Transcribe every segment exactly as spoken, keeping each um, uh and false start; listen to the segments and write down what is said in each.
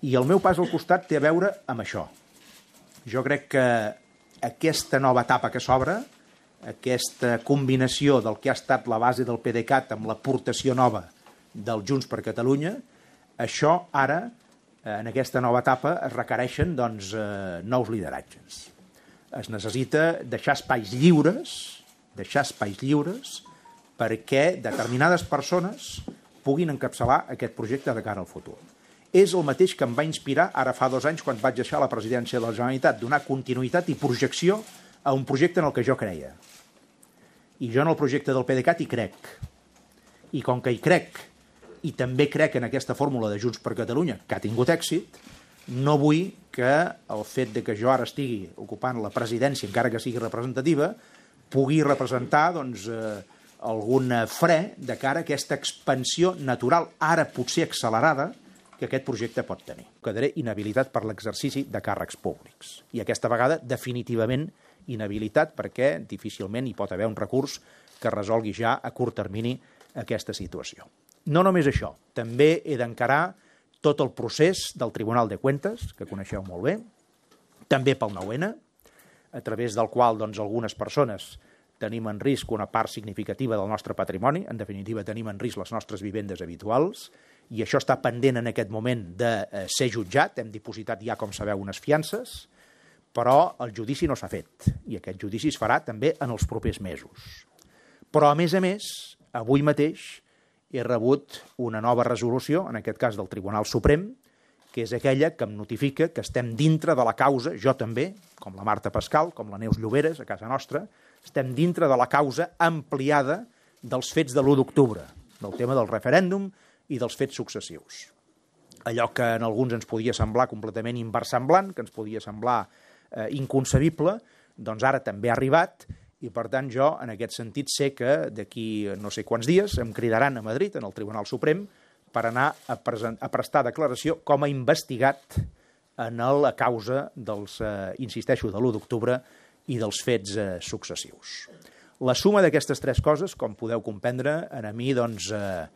I el meu pas al costat té a veure amb això. Jo crec que aquesta nova etapa que s'obre, aquesta combinació del que ha estat la base del PDeCAT amb l'aportació nova del Junts per Catalunya, això ara, en aquesta nova etapa, es requereixen doncs, eh, nous lideratges. Es necessita deixar espais lliures, deixar espais lliures perquè determinades persones puguin encapçalar aquest projecte de cara al futur. És el mateix que em va inspirar ara fa dos anys quan vaig deixar la presidència de la Generalitat, donar continuïtat i projecció a un projecte en el que jo creia. I jo en el projecte del PDeCAT hi crec. I com que hi crec, i també crec en aquesta fórmula de Junts per Catalunya, que ha tingut èxit, no vull que el fet de que jo ara estigui ocupant la presidència, encara que sigui representativa, pugui representar doncs, eh, algun fre de cara a aquesta expansió natural, ara potser accelerada, que aquest projecte pot tenir. Quedaré inhabilitat per l'exercici de càrrecs públics. I aquesta vegada, definitivament, inhabilitat perquè difícilment hi pot haver un recurs que resolgui ja a curt termini aquesta situació. No només això, també he d'encarar tot el procés del Tribunal de Cuentas, que coneixeu molt bé, també pel nou ene, a través del qual doncs, algunes persones tenim en risc una part significativa del nostre patrimoni, en definitiva tenim en risc les nostres vivendes habituals, i això està pendent en aquest moment de eh, ser jutjat, hem dipositat ja, com sabeu, unes fiances, però el judici no s'ha fet, i aquest judici es farà també en els propers mesos. Però, a més a més, avui mateix he rebut una nova resolució, en aquest cas del Tribunal Suprem, que és aquella que em notifica que estem dintre de la causa, jo també, com la Marta Pascal, com la Neus Lloberes, a casa nostra, estem dintre de la causa ampliada dels fets de l'u d'octubre, del tema del referèndum i dels fets successius. Allò que en alguns ens podia semblar completament inversemblant, que ens podia semblar eh, inconcebible, doncs ara també ha arribat, i per tant jo en aquest sentit sé que d'aquí no sé quants dies em cridaran a Madrid, en el Tribunal Suprem, per anar a, present, a prestar declaració com a investigat en la causa dels, eh, insisteixo, de l'u d'octubre i dels fets eh, successius. La suma d'aquestes tres coses, com podeu comprendre, a mi doncs, eh,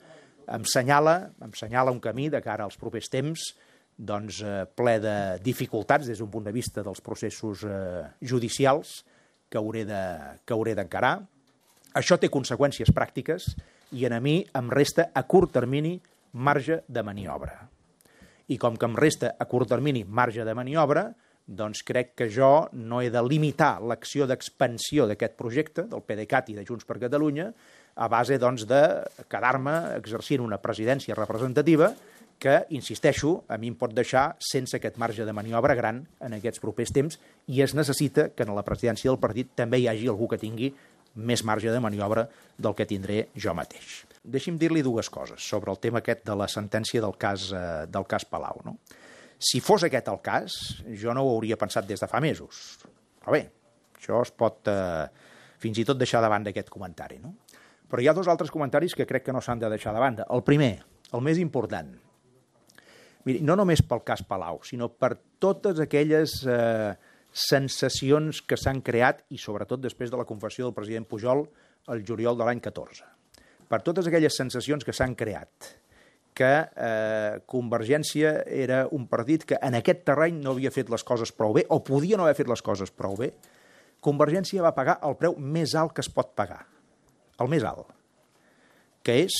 em senyala, em senyala un camí de cara als propers temps doncs, eh, ple de dificultats des d'un punt de vista dels processos eh, judicials que hauré de, que hauré d'encarar. Això té conseqüències pràctiques i a mi em resta a curt termini marge de maniobra. I com que em resta a curt termini marge de maniobra, doncs crec que jo no he de limitar l'acció d'expansió d'aquest projecte, del PDeCAT i de Junts per Catalunya, a base doncs, de quedar-me exercint una presidència representativa que, insisteixo, a mi em pot deixar sense aquest marge de maniobra gran en aquests propers temps i es necessita que en la presidència del partit també hi hagi algú que tingui més marge de maniobra del que tindré jo mateix. Deixi'm dir-li dues coses sobre el tema aquest de la sentència del cas, eh, del cas Palau. No? Si fos aquest el cas, jo no ho hauria pensat des de fa mesos. Però bé, això es pot eh, fins i tot deixar de banda aquest comentari. No? Però hi ha dos altres comentaris que crec que no s'han de deixar de banda. El primer, el més important, miri, no només pel cas Palau, sinó per totes aquelles eh, sensacions que s'han creat, i sobretot després de la confessió del president Pujol el juliol de l'any catorze. Per totes aquelles sensacions que s'han creat, que eh, Convergència era un partit que en aquest terreny no havia fet les coses prou bé, o podia no haver fet les coses prou bé, Convergència va pagar el preu més alt que es pot pagar, el més alt, que és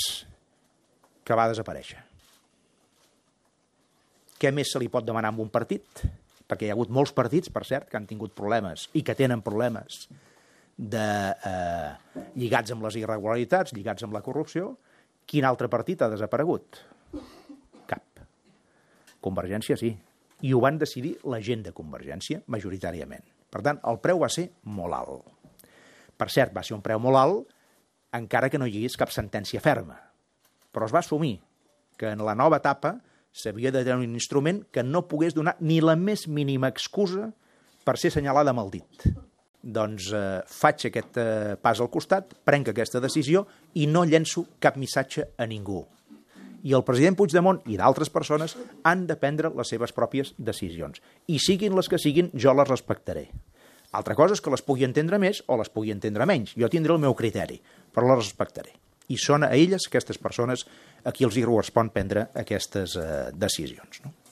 que va desaparèixer. Què més se li pot demanar a un partit? Perquè hi ha hagut molts partits, per cert, que han tingut problemes i que tenen problemes de, eh, lligats amb les irregularitats, lligats amb la corrupció. Quin altre partit ha desaparegut? Cap. Convergència sí. I ho van decidir la gent de Convergència, majoritàriament. Per tant, el preu va ser molt alt. Per cert, va ser un preu molt alt, encara que no hi hagués cap sentència ferma. Però es va assumir que en la nova etapa s'havia de tenir un instrument que no pogués donar ni la més mínima excusa per ser assenyalada amb el dit. Doncs eh, faig aquest eh, pas al costat, prenc aquesta decisió i no llenço cap missatge a ningú. I el president Puigdemont i d'altres persones han de prendre les seves pròpies decisions. I siguin les que siguin, jo les respectaré. Altra cosa és que les pugui entendre més o les pugui entendre menys. Jo tindré el meu criteri, però les respectaré. I són a elles, aquestes persones, a qui els hi correspon prendre aquestes eh, decisions. No?